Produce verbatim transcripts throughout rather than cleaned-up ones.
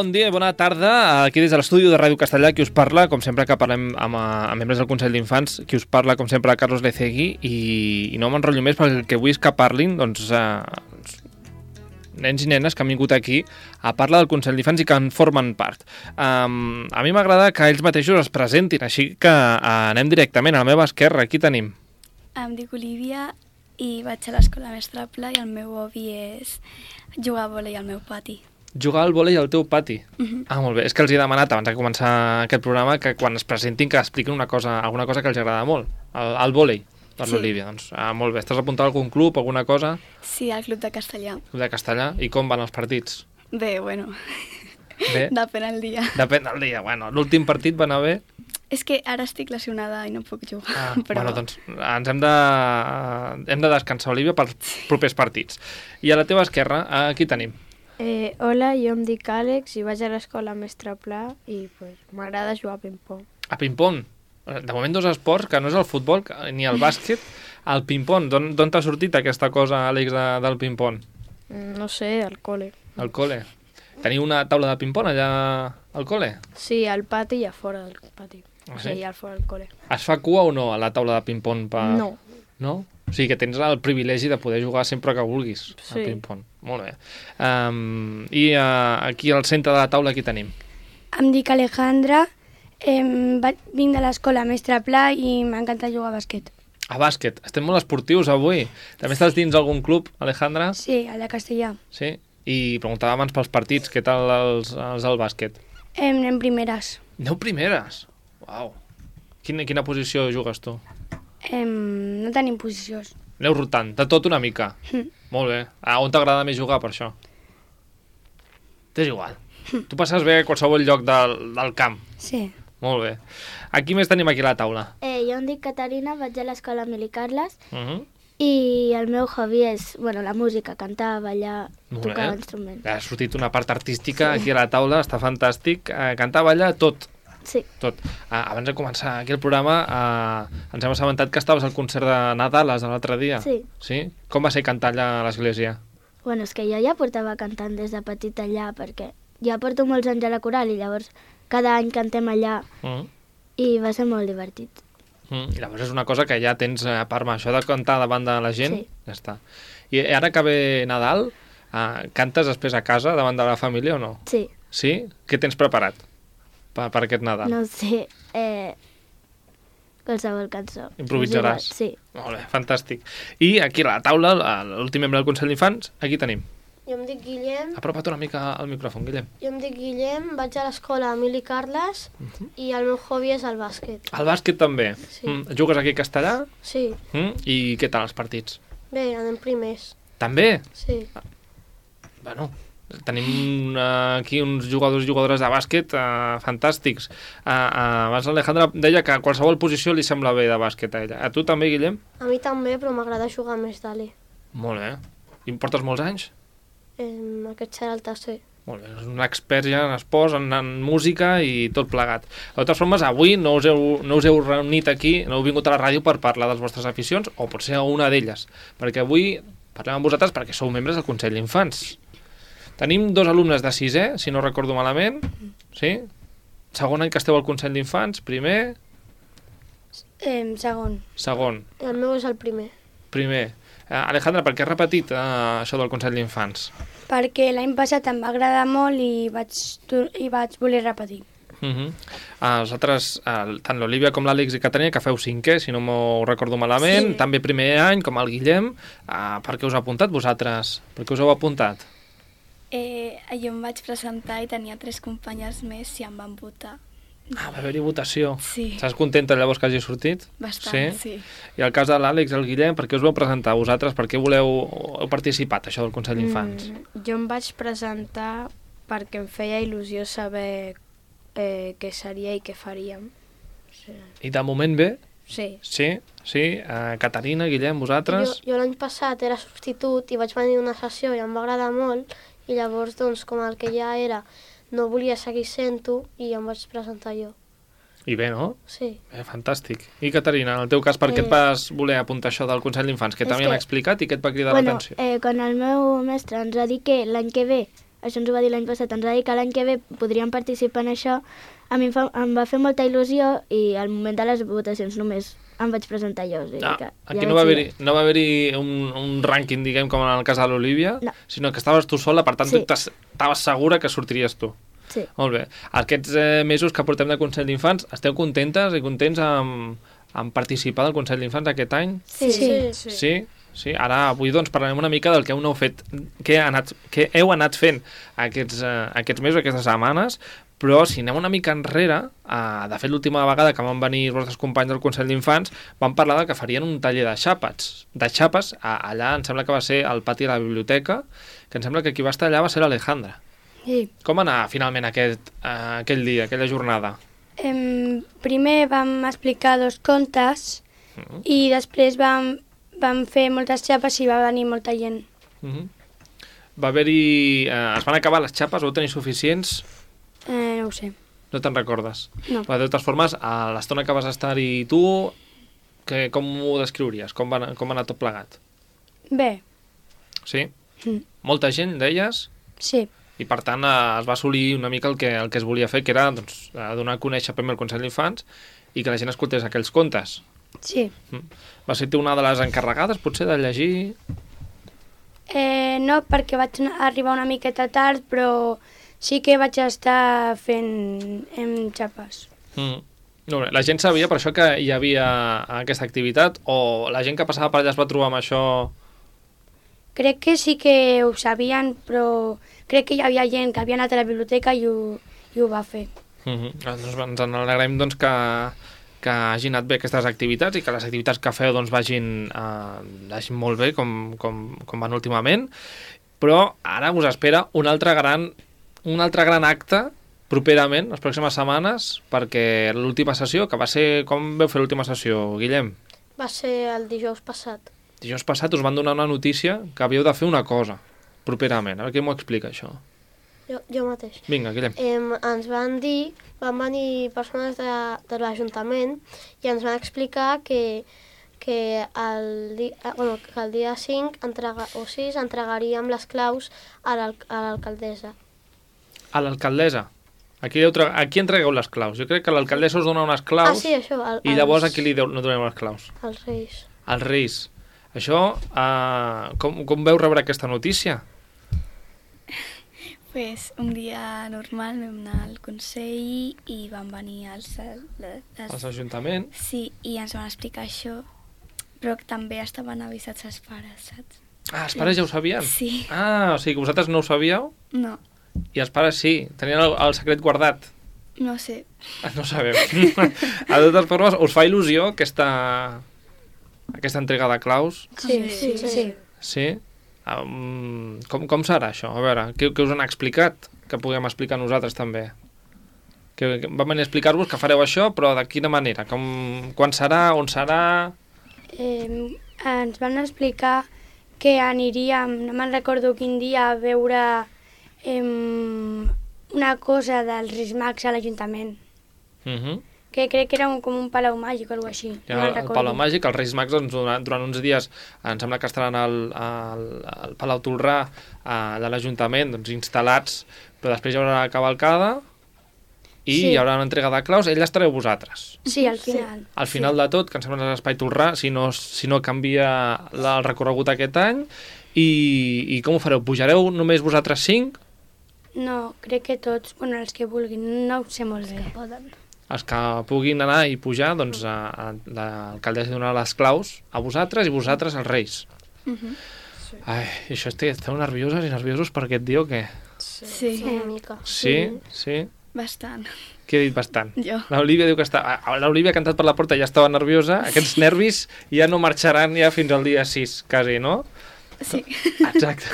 bon dia i bona tarda. Aquí des de l'estudi de Ràdio Castellà, qui us parla, com sempre que parlem amb, amb membres del Consell d'Infants, qui us parla, com sempre, Carlos Lecegui, i, i no m'enrotllo més perquè el que vull és que parlin, doncs, eh, nens i nenes que han vingut aquí a parlar del Consell d'Infants i que en formen part. Um, a mi m'agrada que ells mateixos es presentin, així que uh, anem directament a la meva esquerra. Aquí tenim. Em dic Olivia i vaig a l'escola Mestre Pla i el meu hobby és jugar a vòlei al meu pati. Jugar al vòlei al teu pati? Uh-huh. Ah, molt bé. És que els he demanat abans de començar aquest programa que quan es presentin que expliquin una cosa, alguna cosa que els agrada molt. El, el vòlei, per sí. L'Olivia. Doncs, ah, molt bé. Estàs apuntat a algun club, alguna cosa? Sí, al club de castellà. Club de castellà. I com van els partits? Bé, bueno. Bé? Depèn el dia. Depèn del dia. Bueno, l'últim partit va anar bé? És que ara estic lesionada i no puc jugar. Ah, però... Bueno, doncs ens hem de, hem de descansar, Olivia, pels propers partits. I a la teva esquerra, aquí tenim. Eh, hola, jo em dic Àlex i vaig a l'escola Mestre Pla i pues, m'agrada jugar a ping-pong. A ping-pong? De moment dos esports, que no és el futbol ni el bàsquet, el ping-pong. D'on t'ha sortit aquesta cosa, Àlex, de, del ping-pong? No sé, al col·le. Al col·le. Teniu una taula de ping-pong allà al col·le? Sí, al pati i a fora del pati. Ah, o sí? sigui, al fora del col·le. Es fa cua o no a la taula de ping-pong? Per... No. No? O sigui que tens el privilegi de poder jugar sempre que vulguis sí. al ping-pong. Molt bé. Um, I uh, aquí al centre de la taula aquí tenim. Em dic Alejandra, eh, vinc de l'escola Mestre Pla i m'encanta jugar a bàsquet. A bàsquet. Estem molt esportius avui. També estàs dins algun club, Alejandra? Sí, a la Castellà. Sí? I preguntava abans pels partits, què tal els, els del bàsquet? Eh, anem primeres. Aneu primeres? Uau. Quina, quina posició jugues tu? Eh, no tenim posicions. Aneu rotant, de tot una mica. Mm. Molt bé. Ah, on t'agrada més jugar per això? T'és igual. Mm. Tu passes bé a qualsevol lloc del, del camp. Sí. Molt bé. Aquí més tenim aquí a la taula. Eh, jo em dic Caterina, vaig a l'escola Emili Carles Uh -huh. i el meu hobby és bueno, la música, cantar, ballar, Molt tocar bé. instruments. Ha sortit una part artística Sí. aquí a la taula, està fantàstic. Eh, cantar, ballar, tot. Sí. Tot. Ah, abans de començar aquí el programa eh, ens hem assabentat que estaves al concert de Nadales de l'altre dia. Sí. Sí? Com va ser cantar allà a l'església? Bueno, és que jo ja portava cantant des de petita allà, perquè ja porto molts anys a la coral i llavors cada any cantem allà Mm. i va ser molt divertit. Mm. I llavors és una cosa que ja tens, a part això de cantar davant de la gent, Sí. ja està. I ara que ve Nadal, eh, cantes després a casa davant de la família o no? Sí. Sí? Què tens preparat per, per aquest Nadal? No sé, eh, qualsevol cançó. Improvisaràs? És igual, sí. Molt bé, fantàstic. I aquí a la taula, l'últim membre del Consell d'Infants, aquí tenim. Jo em dic Guillem, Apropa't una mica al micròfon, Guillem. jo em dic Guillem, vaig a l'escola Emili Carles Uh-huh. i el meu hobby és el bàsquet. El bàsquet també. Sí. Mm. Jugues aquí a Castellà? Sí, Mm. I què tal els partits? bé, anem primers. També? Sí, Bueno, tenim uh, aquí uns jugadors i jugadores de bàsquet uh, fantàstics. Uh, uh, abans l'Alejandra deia que a qualsevol posició li sembla bé de bàsquet a ella. A tu també, Guillem? a mi també, però m'agrada jugar més d'ali. Molt bé. I em portes molts anys? Eh, aquest serà el tercer. Molt bé, és un expert ja en esports, en, en música i tot plegat. De totes formes, avui no us, heu, no us heu reunit aquí, no heu vingut a la ràdio per parlar de les vostres aficions, o potser a una d'elles, perquè avui parlem amb vosaltres perquè sou membres del Consell d'Infants. Tenim dos alumnes de sisè, si no recordo malament, sí? Segon any que esteu al Consell d'Infants, primer, Eh, segon. segon, I el meu és el primer. primer. Eh, Alejandra, per què has repetit eh, això del Consell d'Infants? Perquè l'any passat em va agradar molt i vaig, tor- i vaig voler repetir. Uh -huh. uh, els altres, uh, tant l'Olivia com l'Àlex i Caterina, que feu cinquè, si no m'ho recordo malament, Sí. també primer any, com el Guillem. Uh, per què us ha apuntat vosaltres? Per què us heu apuntat? Eh, jo em vaig presentar i tenia tres companyes més i em van votar. Ah, va haver-hi votació. Sí. Estàs contenta llavors que hagi sortit? Bastant, sí. I el cas de l'Àlex i el Guillem, per què us vau presentar vosaltres? Per què voleu, heu participat, això del Consell d'Infants? Mm, jo em vaig presentar perquè em feia il·lusió saber eh, què seria i què faríem. Sí. I de moment bé? Sí. Sí? Sí? Uh, Caterina, Guillem, Jo, vosaltres? jo l'any passat era substitut i vaig venir a una sessió i em va agradar molt i llavors, doncs, com el que ja era, no volia seguir sent-ho i em vaig presentar jo. I bé, no? Sí. Bé, fantàstic. I Caterina, en el teu cas, per què Eh, et vas voler apuntar això del Consell d'Infants? Que és t'havien que- explicat i què et va cridar Bueno, l'atenció? eh, quan el meu mestre ens va dir que l'any que ve això ens ho va dir l'any passat, ens va dir que l'any que ve podríem participar en això. A mi em, fa, em va fer molta il·lusió i al moment de les votacions només em vaig presentar jo. O sigui Ah, que aquí ja no va vaig haver-hi no va haver un, un rànquing, diguem, com en el cas de l'Olivia, No. sinó que estaves tu sola, per tant, Sí. tu estaves segura que sortiries tu. Sí. Molt bé. Aquests eh, mesos que portem de Consell d'Infants, esteu contentes i contents amb, amb participar del Consell d'Infants aquest any? Sí. Sí. Sí? Sí? Sí? Ara, avui, doncs, parlarem una mica del que heu fet, què, ha anat, què heu anat fent aquests, eh, aquests mesos, aquestes setmanes, però si anem una mica enrere, eh, de fet, l'última vegada que van venir els vostres companys del Consell d'Infants, van parlar de que farien un taller de xàpats. De xàpes, a, allà em sembla que va ser al pati de la biblioteca, que em sembla que qui va estar allà va ser l'Alejandra. Sí. Com va anar finalment aquest, eh, aquell dia, aquella jornada? Em, primer vam explicar dos contes Mm. i després vam, vam fer moltes xapes i va venir molta gent. Mm -hmm. Va haver-hi... Eh, es van acabar les xapes, vau tenir suficients? Eh, no ho sé. No te'n recordes? No. Però de totes formes, a l'estona que vas estar-hi tu, que, com ho descriuries? Com va, anar- com va anar tot plegat? Bé, Sí? Mm. Molta gent, deies? sí. I per tant eh, es va assolir una mica el que, el que es volia fer, que era doncs, eh, donar a conèixer primer el Consell d'Infants i que la gent escoltés aquells contes. Sí. Mm. Va ser tu una de les encarregades, potser, de llegir? Eh, no, perquè vaig anar- arribar una miqueta tard, però sí que vaig estar fent em, xapes. Mm. No, bé, la gent sabia per això que hi havia aquesta activitat o la gent que passava per allà es va trobar amb això? Crec que sí que ho sabien, però crec que hi havia gent que havia anat a la biblioteca i ho, i ho va fer. Mm -hmm. Doncs ens en alegrem doncs, que, que hagin anat bé aquestes activitats i que les activitats que feu doncs, vagin, eh, vagin molt bé com, com, com van últimament, però ara us espera un altre gran, un altre gran acte properament, les pròximes setmanes, perquè l'última sessió, que va ser... Com veu fer l'última sessió, Guillem? Va ser el dijous passat. Dijous passat us van donar una notícia que havíeu de fer una cosa properament. A veure qui m'ho explica, això. Jo, jo mateix. Vinga, Guillem. Em, ens van dir, van venir persones de, de l'Ajuntament i ens van explicar que, que, el, di, eh, bueno, que el dia cinc entrega, o sis entregaríem les claus a l'al- a l'alcaldessa. A l'alcaldessa. Aquí, deu tra... aquí entregueu les claus. Jo crec que l'alcaldessa us dona unes claus Ah, sí, això. El, i llavors els- a qui li deu... no doneu les claus? Els Reis. Als Reis. Això, uh, com, com veu rebre aquesta notícia? Pues un dia normal vam anar al Consell i van venir els... les, Als ajuntaments? Sí, i ens van explicar això, però també estaven avisats els pares, saps? Ah, els pares ja ho sabien? Sí. Ah, o sigui que vosaltres no ho sabíeu No, i els pares sí, tenien el, el secret guardat. no sé. Ah, no sabeu. A totes formes, us fa il·lusió aquesta, aquesta entrega de claus? Sí, sí, sí. sí. Sí? Um, com, com serà això? A veure, què, què us han explicat? Que puguem explicar nosaltres també. Que, que vam venir a explicar-vos que fareu això, però de quina manera? Com, quan serà? On serà? Eh, ens van explicar que aniríem, no me'n recordo quin dia, a veure eh, una cosa dels Reis Mags a l'Ajuntament. Uh -huh. Que crec que era un, com un palau màgic o alguna així. Ja, No me'n el recordo. Palau Màgic, els Reis Mags, doncs, durant, durant uns dies, em sembla que estaran al, al, al Palau Tolrà uh, de l'Ajuntament, doncs, instal·lats, però després hi haurà la cavalcada i Sí. hi haurà una entrega de claus, ell estareu vosaltres. Sí, al final. Al final de tot, que em sembla que és l'Espai Tolrà, si no, si no canvia la, el recorregut aquest any, i, i com ho fareu? Pujareu només vosaltres cinc? No, crec que tots, bueno, els que vulguin, no ho sé molt bé. Poden. Els que puguin anar i pujar, doncs a, a, l'alcaldessa donarà les claus a vosaltres i vosaltres als Reis. Uh -huh. Ai, això estic, esteu nervioses i nerviosos per aquest dia o què? Sí, Sí, una mica. Sí? Sí? bastant. Qui ha dit bastant? Jo. L'Olivia diu que està... ah, L'Olivia ha cantat per la porta, ja estava nerviosa. Aquests nervis ja no marxaran ja fins al dia sis, quasi, no? Sí. Exacte.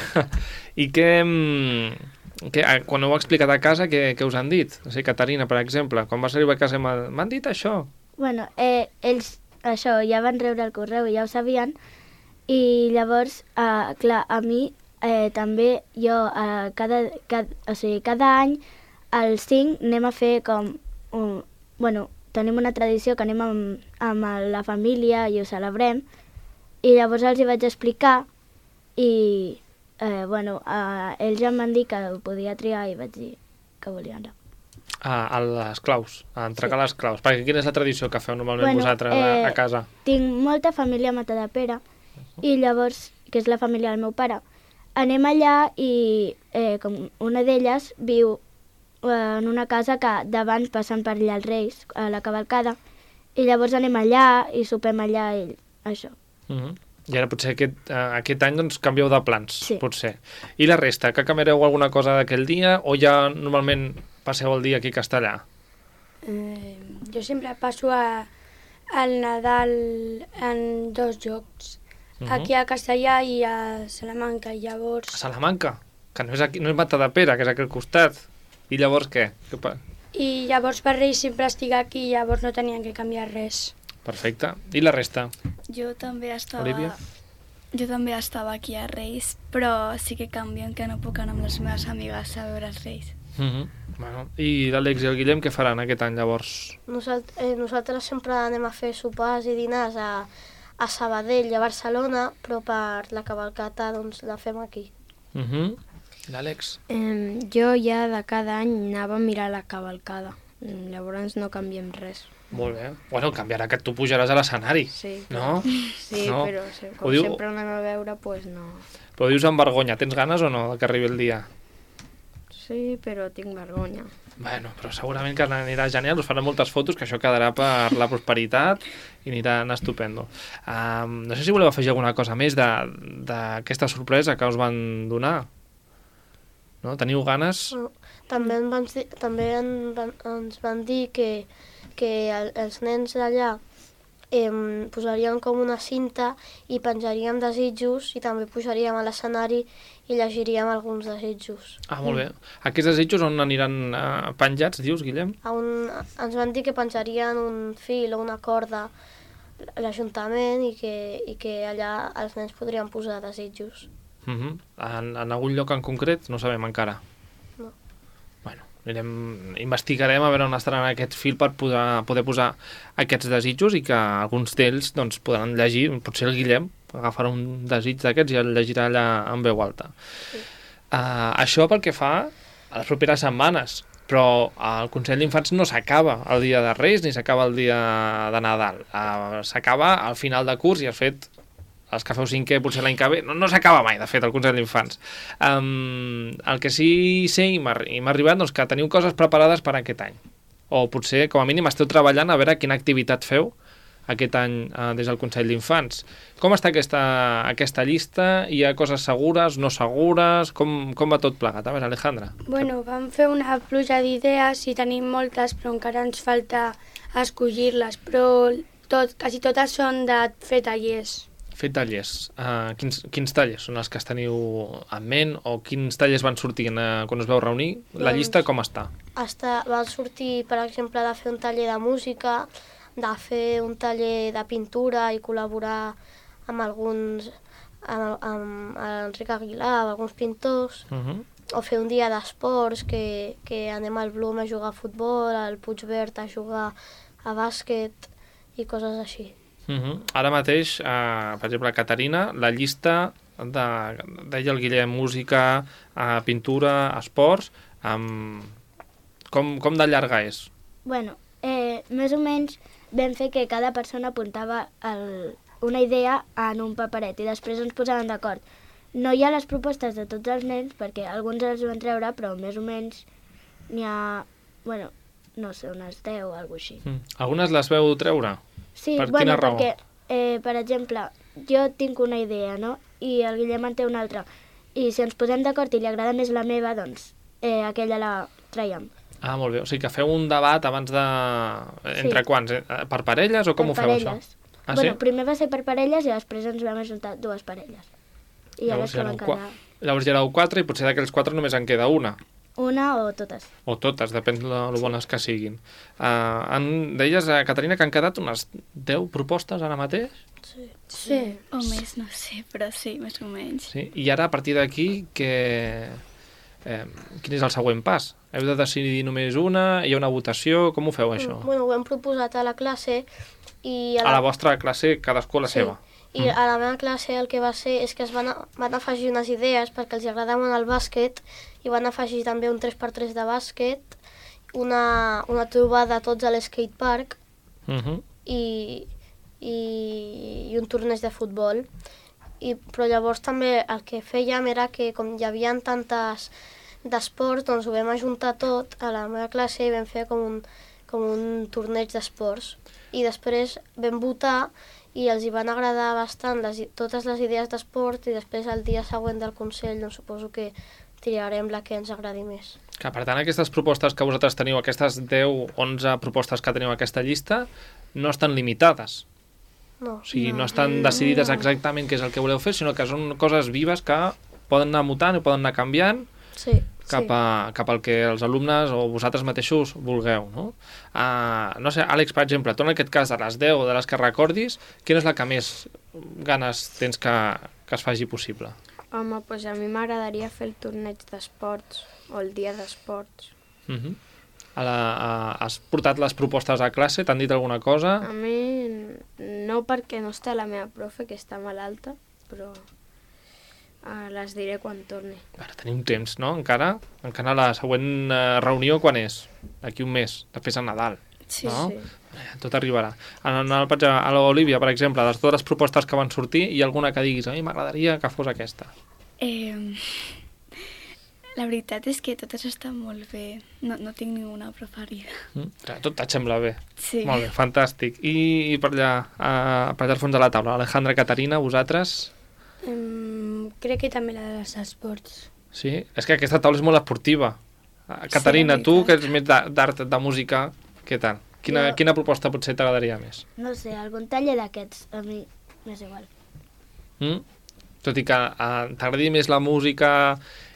I què... mm, què ah, quan ho heu explicat a casa, què, què us han dit? O sigui, Caterina, per exemple, quan vas arribar a casa m'ha- m'han dit això. Bueno, eh, ells això ja van rebre el correu i ja ho sabien, i llavors, eh, clar, a mi eh, també jo eh, cada, cada, o sigui, cada any al cinc anem a fer com un, bueno, tenim una tradició que anem amb, amb la família i ho celebrem, i llavors els hi vaig explicar i, eh, bueno, eh, ells em van dir que ho podia triar i vaig dir que volia anar. Ah, a les claus, a entregar sí. les claus. Perquè quina és la tradició que feu normalment bueno, vosaltres eh, a casa? Tinc molta família a Matadepera uh-huh. i llavors, que és la família del meu pare, anem allà i eh, com una d'elles viu eh, en una casa que davant passen per allà els Reis, a la cavalcada, i llavors anem allà i sopem allà i això. Uh-huh. I ara potser aquest, uh, aquest any doncs, canvieu de plans, sí. potser. I la resta, que canviareu alguna cosa d'aquell dia o ja normalment passeu el dia aquí a Castellà? Eh, jo sempre passo a, al Nadal en dos llocs, uh-huh. aquí a Castellà i a Salamanca, i llavors... A Salamanca? Que no és, aquí, no és Matadepera, que és aquí al costat. I llavors què? què pa... I llavors per Reis sempre estic aquí, llavors no tenien que canviar res. Perfecte. I la resta? Jo també estava... Olivia? Jo també estava aquí a Reis, però sí que canvien que no puc anar amb les meves amigues a veure els Reis. Uh-huh. Bueno, i l'Àlex i el Guillem què faran aquest any llavors? Nosalt eh, nosaltres sempre anem a fer sopars i dinars a, a Sabadell i a Barcelona, però per la cavalcata doncs, la fem aquí. Uh-huh. L'Àlex? Eh, jo ja de cada any anava a mirar la cavalcada, llavors no canviem res. Molt bé. Bueno, canviarà que tu pujaràs a l'escenari, sí, no? Sí, no? però com diu... sempre anem a veure, doncs pues no. Però dius amb vergonya, tens ganes o no que arribi el dia? Sí, però tinc vergonya. Bueno, però segurament que anirà genial, us faran moltes fotos, que això quedarà per la prosperitat i anirà estupendo. Um, no sé si voleu afegir alguna cosa més d'aquesta sorpresa que us van donar. No? Teniu ganes? No, també en van, també en van, ens van dir que, que el, els nens d'allà eh, posarien com una cinta i penjaríem desitjos i també pujaríem a l'escenari i llegiríem alguns desitjos. Ah, molt bé. Aquests desitjos on aniran eh, penjats, dius, Guillem? A un, ens van dir que penjarien un fil o una corda a l'Ajuntament i que, i que allà els nens podrien posar desitjos. Uh-huh. en, en algun lloc en concret? No sabem encara. No. Bueno, anirem, investigarem a veure on estaran aquest fil per poder, poder posar aquests desitjos i que alguns d'ells doncs, podran llegir, potser el Guillem agafarà un desig d'aquests i el llegirà allà en veu alta. Sí. Uh, això pel que fa a les properes setmanes, però el Consell d'Infants no s'acaba el dia de Reis ni s'acaba el dia de Nadal. Uh, s'acaba al final de curs i, de fet, els que feu cinquè, potser l'any que ve, no, no s'acaba mai, de fet, el Consell d'Infants. Um, el que sí sé i m'ha arribat, doncs, que teniu coses preparades per aquest any. O potser, com a mínim, esteu treballant a veure quina activitat feu aquest any uh, des del Consell d'Infants. Com està aquesta, aquesta llista? Hi ha coses segures, no segures? Com, com va tot plegat? A veure, Alejandra. Bueno, vam fer una pluja d'idees i tenim moltes, però encara ens falta escollir-les, però tot, quasi totes són de fer tallers. Fer tallers. Uh, quins, quins tallers són els que es teniu en ment o quins tallers van sortir uh, quan us veu reunir? La doncs, llista com està? està? Va sortir, per exemple, de fer un taller de música, de fer un taller de pintura i col·laborar amb alguns, amb, amb Enric Aguilar, amb alguns pintors, uh-huh. o fer un dia d'esports que, que anem al Blum a jugar a futbol, al Puigverd a jugar a bàsquet i coses així. Uh-huh. Ara mateix, uh, per exemple, a Caterina, la llista de, deia el Guillem, música, uh, pintura, esports, um, com, com de llarga és? Bueno, eh, més o menys vam fer que cada persona apuntava el, una idea en un paperet i després ens posàvem d'acord. No hi ha les propostes de tots els nens, perquè alguns els van treure, però més o menys n'hi ha, bueno, no sé, unes deu o alguna cosa així. Mm. Algunes les veu treure? Sí, per bueno, quina raó? perquè, eh, per exemple, jo tinc una idea, no? I el Guillem en té una altra. I si ens posem d'acord i li agrada més la meva, doncs eh, aquella la traiem. Ah, molt bé. O sigui que feu un debat abans de... Entre sí. Quants? Per parelles o com per ho feu, parelles. això? Ah, bueno, sí? primer va ser per parelles i després ens vam ajuntar dues parelles. I llavors, llavors, ja van quedar... llavors ja éreu quatre i potser d'aquells quatre només en queda una. Una o totes. O totes, depèn de lo bones que siguin. Uh, en, deies, uh, Caterina, que han quedat unes deu propostes ara mateix? Sí. Sí. O més, no sé, però sí, més o menys. Sí? I ara, a partir d'aquí, que... eh, quin és el següent pas? Heu de decidir només una? Hi ha una votació? Com ho feu, això? Bueno, ho hem proposat a la classe i... A la, a la vostra classe, cadascú a la sí. seva? I a la meva classe el que va ser és que es van, van afegir unes idees perquè els agrada molt el bàsquet i van afegir també un tres per tres de bàsquet, una, una trobada tots a l'skatepark Uh -huh. i, i, i un torneig de futbol. I, però llavors també el que fèiem era que com hi havia tantes d'esports, doncs ho vam ajuntar tot a la meva classe i vam fer com un, com un torneig d'esports. I després vam votar i els hi van agradar bastant les, totes les idees d'esport i després el dia següent del Consell doncs suposo que triarem la que ens agradi més. Que, per tant, aquestes propostes que vosaltres teniu, aquestes deu, onze propostes que teniu a aquesta llista, no estan limitades. No. O sigui, no, no estan decidides exactament què és el que voleu fer, sinó que són coses vives que poden anar mutant i poden anar canviant Sí. cap, a, cap al que els alumnes o vosaltres mateixos vulgueu, no? Uh, no sé, Àlex, per exemple, tu en aquest cas de les deu o de les que recordis, quina és la que més ganes tens que, que es faci possible? Home, doncs a mi m'agradaria fer el torneig d'esports o el dia d'esports. Uh -huh. a la, a, has portat les propostes a classe? T'han dit alguna cosa? A mi no, perquè no està la meva profe, que està malalta, però uh, les diré quan torni. Ara tenim temps, no? Encara? Encara la següent uh, reunió quan és? D'aquí un mes, després de Nadal. Sí, no? sí. Tot arribarà. En, en el, a l'Olivia, per exemple, de totes les propostes que van sortir, hi ha alguna que diguis, a mi m'agradaria que fos aquesta? Eh, la veritat és que totes estan molt bé. No, no tinc ninguna preferida. Mm? Tot et sembla bé. Sí. Molt bé, fantàstic. I, i per allà, uh, per allà al fons de la taula, Alejandra, Caterina, vosaltres? Um, crec que també la dels esports. Sí? És que aquesta taula és molt esportiva. Uh, Caterina, Sí, tu, que veritat. ets més d'art, d'art, de música, què tal? Quina, Jo- quina proposta potser t'agradaria més? No sé, algun taller d'aquests, a mi m'és igual. Mm? Tot i que uh, t'agradi més la música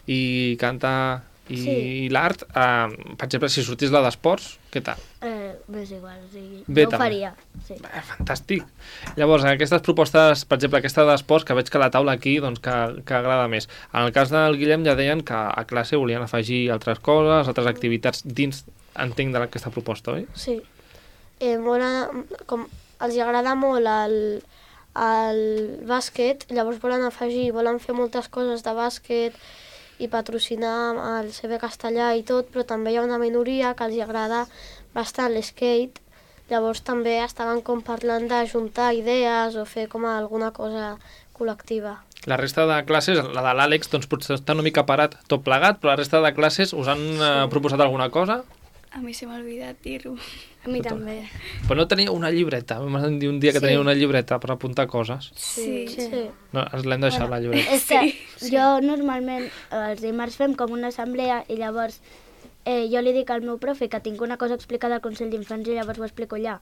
i cantar i, Sí. i l'art, uh, per exemple, si sortís la d'esports, què tal? Eh, m'és igual, o sigui, Bé, jo ho també. faria, sí. Bé, fantàstic. Llavors, aquestes propostes, per exemple, aquesta d'esports, que veig que la taula aquí doncs, que, que agrada més. En el cas del Guillem ja deien que a classe volien afegir altres coses, altres activitats dins, entenc, d'aquesta proposta, oi? Sí. Eh, molt, a- com els hi agrada molt el, el bàsquet, llavors volen afegir, volen fer moltes coses de bàsquet i patrocinar el C B Castellà i tot, però també hi ha una minoria que els hi agrada bastant l'skate, llavors també estaven com parlant d'ajuntar idees o fer com alguna cosa col·lectiva. La resta de classes, la de l'Àlex, doncs potser està una mica parat tot plegat, però la resta de classes us han eh, proposat alguna cosa? A mi se m'ha oblidat dir-ho. A mi Total. també. Però no teniu una llibreta. M'han dit un dia que Sí. teniu una llibreta per apuntar coses. Sí. Sí. No, ens l'hem deixat, la llibreta. És que jo normalment els dimarts fem com una assemblea i llavors eh, jo li dic al meu profe que tinc una cosa explicada al Consell d'Infants i llavors ho explico allà.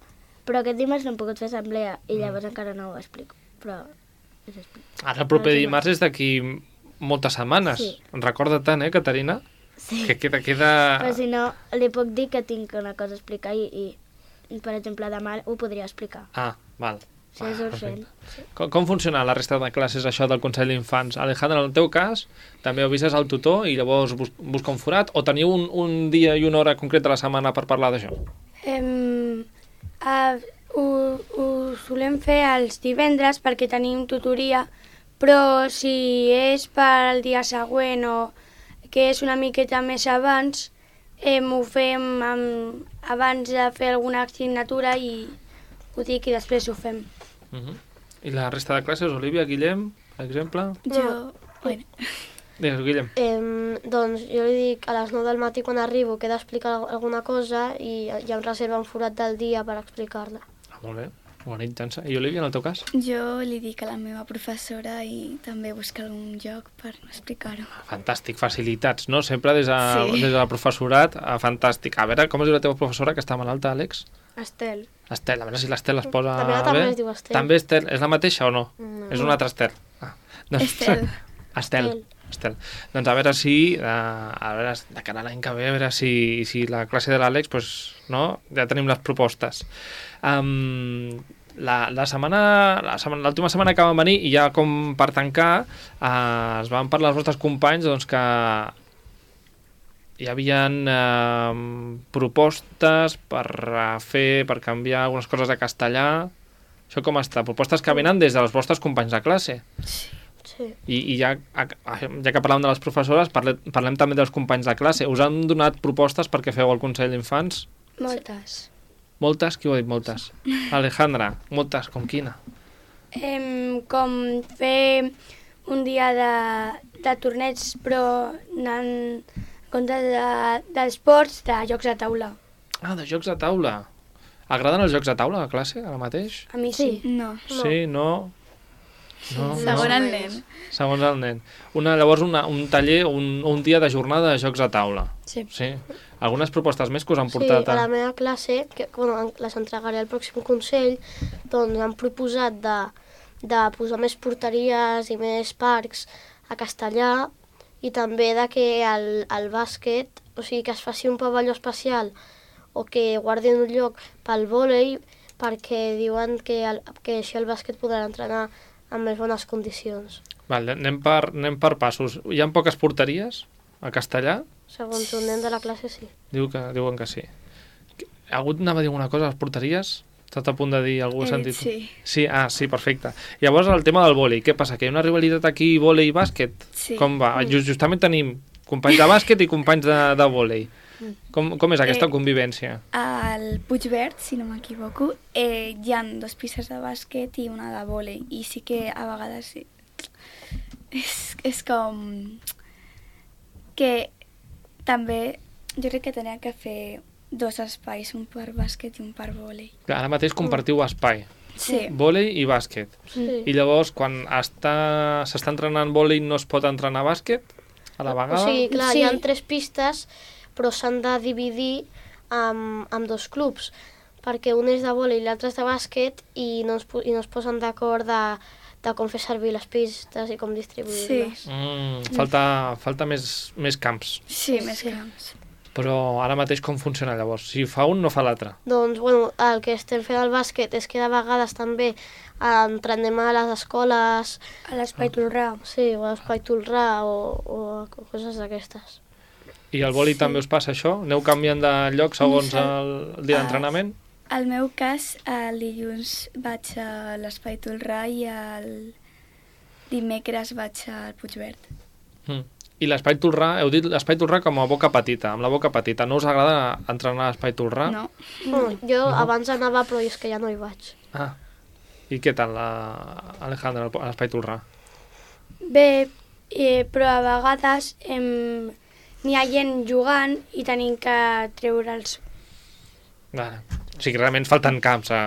Però aquest dimarts no hem pogut fer assemblea i llavors encara no ho explico. Però us explico. Ara el proper Sí. dimarts és d'aquí moltes setmanes. Sí. Recorda tant, eh, Caterina? Sí. Que queda... queda... Però si no, li puc dir que tinc una cosa a explicar i, i per exemple, demà ho podria explicar. Ah, val. Si és Ah, urgent. perfecte. Com, com funciona la resta de classes, això del Consell d'Infants? Alejandra, en el teu cas, també avises al tutor i llavors bus busca un forat o teniu un, un dia i una hora concreta a la setmana per parlar d'això? Um, uh, ho, ho solem fer els divendres perquè tenim tutoria, però si és per al dia següent o que és una miqueta més abans, eh, ho fem amb, abans de fer alguna assignatura i ho dic i després ho fem. Uh -huh. I la resta de classes, Olivia, Guillem, per exemple? Jo... Bueno, Digues, Guillem. Eh, doncs jo li dic a les nou del matí quan arribo que he d'explicar alguna cosa i ja em reserva un forat del dia per explicar-la. Ah, molt bé, organitzant-se. I Olivia, en el teu cas? jo li dic a la meva professora i també busca algun lloc per explicar-ho. Fantàstic, facilitats, no? Sempre des de, Sí. des del professorat, ah, fantàstic. A veure, com es diu la teva professora, que està malalta, Àlex? Estel. Estel, a veure si l'Estel es posa La meva bé. també es diu Estel. També Estel, és la mateixa o no? No. És una altra Estel. Ah. Estel. Estel. Estel. Doncs a veure si, uh, a veure, de cara a l'any que ve, a veure si, si la classe de l'Àlex, pues, no? Ja tenim les propostes. Um, la, la setmana, la setmana, l'última setmana que vam venir, i ja com per tancar, uh, es van parlar els vostres companys doncs, que hi havia uh, propostes per uh, fer, per canviar algunes coses de castellà, Això com està? Propostes que venen des dels vostres companys de classe. Sí. I, i ja, ja que parlàvem de les professores, parlem, parlem també dels companys de classe. Us han donat propostes perquè feu el Consell d'Infants? Moltes. Moltes? Qui ho ha dit moltes? Alejandra, moltes, com quina? Em, com fer un dia de, de torneigs, però anant en compte de- d'esports, de jocs de taula. Ah, de jocs de taula. Agraden els jocs de taula a classe, ara mateix? A mi sí. No. Sí, no... No, Segon no. el nen. Segons el nen. Una, llavors, una, un taller, un, un dia de jornada de jocs de taula. Sí. Sí. Algunes propostes més que us han Sí, portat a la meva classe, que bueno, les entregaré al pròxim Consell, doncs han proposat de, de posar més porteries i més parcs a Castellà i també de que el, el bàsquet, o sigui, que es faci un pavelló especial o que guardin un lloc pel vòlei perquè diuen que, el, que així el bàsquet podrà entrenar en més bones condicions. Val, anem, per, anem per passos. Hi ha poques porteries a Castellà? Segons un nen de la classe, sí. Diu que, diuen que sí. Ha hagut, anava a dir alguna cosa a les porteries? Estàs a punt de dir alguna He dit sentit? sí. Sí, ah, sí, perfecte. Llavors, el tema del vòlei. Què passa? Que hi ha una rivalitat aquí, vòlei i bàsquet? Sí. Com va? Just, justament tenim companys de bàsquet i companys de, de vòlei. Com, com és aquesta Eh, convivència? Al Puigverd, si no m'equivoco, eh, hi ha dos pistes de bàsquet i una de vòlei. I sí que a vegades sí. És, és com... que també jo crec que tenia que fer dos espais, un per bàsquet i un per vòlei. Ara mateix compartiu espai. Sí. Vòlei i bàsquet. Sí. I llavors, quan està s'està entrenant vòlei, no es pot entrenar bàsquet a la vegada? O sigui, clar, Sí. hi ha tres pistes, però s'han de dividir amb, amb dos clubs, perquè un és de vòlei i l'altre és de bàsquet i no es, po- i no es posen d'acord de, de com fer servir les pistes i com distribuir-les. Mm, falta, falta més, més camps. Sí, més camps. Però ara mateix com funciona llavors? Si fa un, no fa l'altre. Doncs, bueno, el que estem fent al bàsquet és que de vegades també entrenem a les escoles, A l'espai Tolrà. sí, o a l'Espai Tolrà o, o coses d'aquestes. I al vòlei també us passa això? Aneu canviant de lloc segons el, el dia Ah. d'entrenament? Al meu cas, el dilluns vaig a l'Espai Tolrà i el dimecres vaig al Puigverd. Mm. I l'espai Tolrà, heu dit l'espai Tolrà com a boca petita, amb la boca petita. No us agrada entrenar a l'espai Tolrà? No? Bueno, jo abans anava, però és que ja no hi vaig. Ah. I què tal, la... Alejandra, a l'espai Tolrà? Bé, eh, però a vegades em, n'hi ha gent jugant i tenim que treure'ls. Vale. O sigui, realment falten camps a,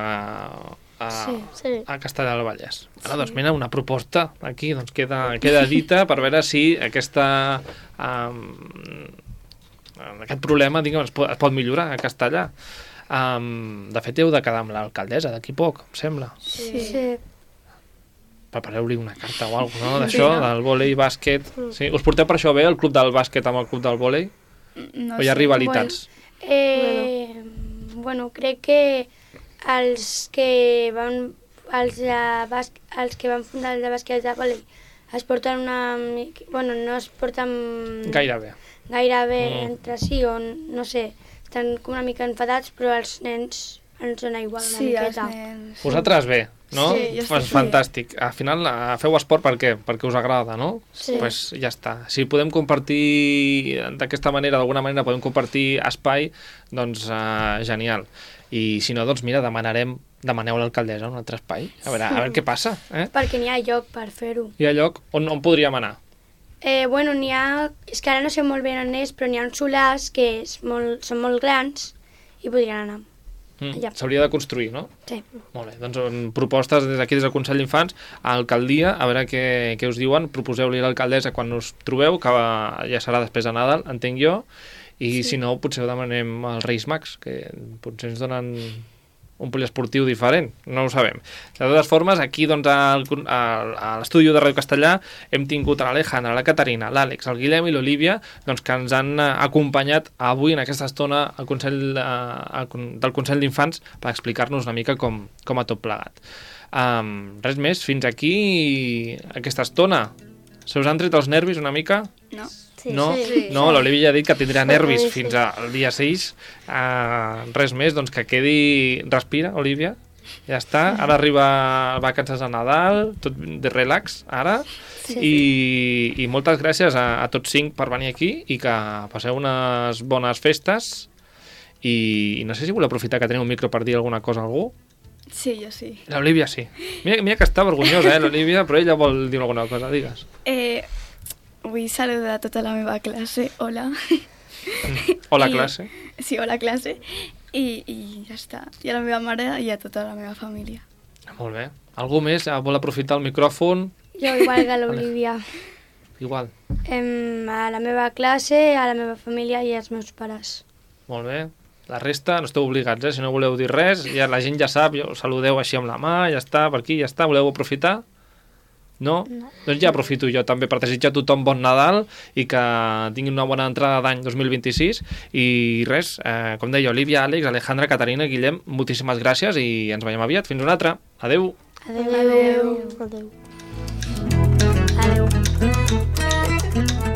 a, Sí, sí. a Castellà del Vallès. Ara, doncs, mira, una proposta aquí, doncs queda, queda dita per veure si aquesta, um, aquest problema, diguem, es pot, es pot millorar a Castellà. Um, de fet, heu de quedar amb l'alcaldessa d'aquí poc, em sembla. Sí. Sí. Prepareu-li una carta o alguna cosa, no?, d'això, Sí, no? del vòlei i bàsquet. Sí? Us porteu per això bé, el club del bàsquet amb el club del vòlei? No O hi ha sé. rivalitats? Eh, bueno, crec que els que van els, de bas, els que van fundar el de bàsquet de vòlei es porten una mica... Bueno, no es porten Gairebé. gaire bé Mm. entre si, o no sé, estan com una mica enfadats, però els nens ens dona igual una Sí, els miqueta. nens. Vosaltres bé, no? Sí, jo Pues estic fantàstic. Al final eh, feu esport per què? Perquè us agrada, no? Sí. Pues ja està. Si podem compartir d'aquesta manera, d'alguna manera podem compartir espai, doncs uh, genial. I si no, doncs mira, demanarem, demaneu a l'alcaldessa un altre espai. A veure, a veure què passa, eh? Perquè n'hi ha lloc per fer-ho. Hi ha lloc on, on podríem anar? Eh, bueno, n'hi ha... És que ara no sé molt bé on és, però n'hi ha uns solars que és molt, són molt grans i podrien anar. Mm, Allà. S'hauria de construir, no? Sí. Molt bé, doncs en propostes des d'aquí, des del Consell d'Infants, a l'alcaldia, a veure què, què us diuen, proposeu-li a l'alcaldessa quan us trobeu, que ja serà després de Nadal, entenc jo, i sí. Si no, potser ho demanem als Reis Mags, que potser ens donen un poliesportiu diferent, no ho sabem. De totes formes, aquí doncs, al, al, a l'estudi de Ràdio Castellà hem tingut a l'Alejandra, la Caterina, l'Àlex, el Guillem i l'Olivia, doncs, que ens han acompanyat avui en aquesta estona al Consell, eh, al, del Consell d'Infants per explicar-nos una mica com, com ha tot plegat. Um, res més, fins aquí aquesta estona. Se us han tret els nervis una mica? No. Sí, No, sí. no, l'Olivia ja ha dit que tindrà nervis Sí. fins al dia sis. Uh, res més, doncs que quedi... Respira, Olivia. Ja està, ara arriba vacances de Nadal, tot de relax, ara, Sí. i, i moltes gràcies a, a tots cinc per venir aquí i que passeu unes bones festes i, i no sé si voleu aprofitar que teniu un micro per dir alguna cosa a algú. Sí, jo sí. L'Olivia sí. Mira, mira que està vergonyosa, eh, l'Olivia, però ella vol dir alguna cosa, digues. Eh, vull saludar a tota la meva classe. Hola. Hola, I- classe. Sí, hola, classe. I, I ja està. I a la meva mare i a tota la meva família. Molt bé. Algú més eh, vol aprofitar el micròfon? Jo, igual que l'Olivia. Igual. Em, a la meva classe, a la meva família i als meus pares. Molt bé. La resta no esteu obligats, eh? Si no voleu dir res, ja la gent ja sap, ja saludeu així amb la mà, ja està, per aquí, ja està. Voleu aprofitar? No? no? Doncs ja aprofito jo també per desitjar a tothom bon Nadal i que tinguin una bona entrada d'any dos mil vint-i-sis i res, eh, com deia Olivia, Àlex, Alejandra, Caterina, Guillem, moltíssimes gràcies i ens veiem aviat. Fins una altra. Adeu. Adéu. Adéu. Adéu.